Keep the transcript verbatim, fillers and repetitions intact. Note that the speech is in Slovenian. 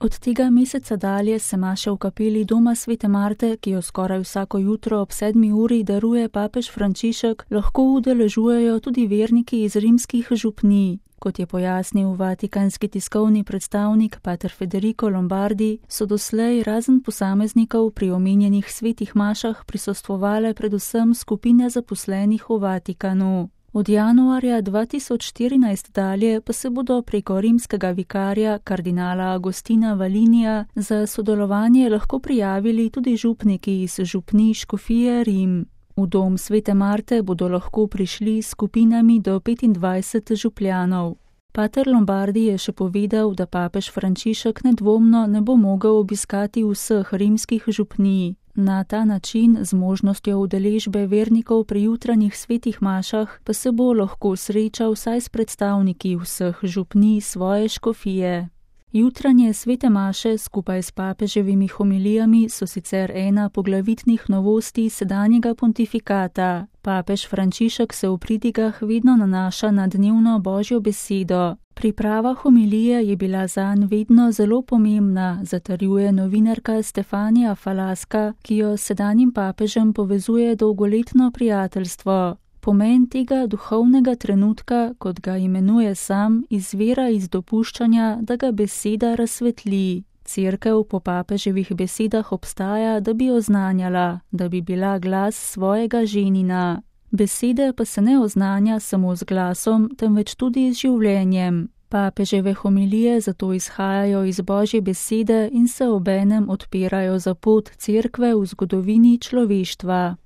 Od tega meseca dalje se maše v kapeli doma svete Marte, ki jo skoraj vsako jutro ob sedmi uri daruje papež Frančišek, lahko udeležujejo tudi verniki iz rimskih župnij. Kot je pojasnil vatikanski tiskovni predstavnik pater Federico Lombardi, so doslej razen posameznikov pri omenjenih svetih mašah prisostvovale predvsem skupine zaposlenih v Vatikanu. Od januarja dva tisoč štirinajst dalje pa se bodo preko rimskega vikarja kardinala Agostina Valinija za sodelovanje lahko prijavili tudi župniki iz župnij škofije Rim. V dom svete Marte bodo lahko prišli s skupinami do petindvajset župljanov. Pater Lombardi je še povedal, da papež Frančišek nedvomno ne bo mogel obiskati vseh rimskih župnij. Na ta način, z možnostjo udeležbe vernikov pri jutranjih svetih mašah, pa se bo lahko srečal vsaj s predstavniki vseh župnij svoje škofije. Jutranje svete maše skupaj s papeževimi homilijami so sicer ena poglavitnih novosti sedanjega pontifikata. Papež Frančišek se v pridigah vedno nanaša na dnevno Božjo besedo. Priprava homilije je bila zanj vedno zelo pomembna, zatrjuje novinarka Stefanija Falaska, ki jo s sedanjim papežem povezuje dolgoletno prijateljstvo. Pomen tega duhovnega trenutka, kot ga imenuje sam, izvira iz dopuščanja, da ga beseda razsvetli. Cerkev po papeževih besedah obstaja, da bi oznanjala, da bi bila glas svojega ženina. Besede pa se ne oznanja samo z glasom, temveč tudi z življenjem. Papeževe homilije zato izhajajo iz Božje besede in se obenem odpirajo za pot cerkve v zgodovini človeštva.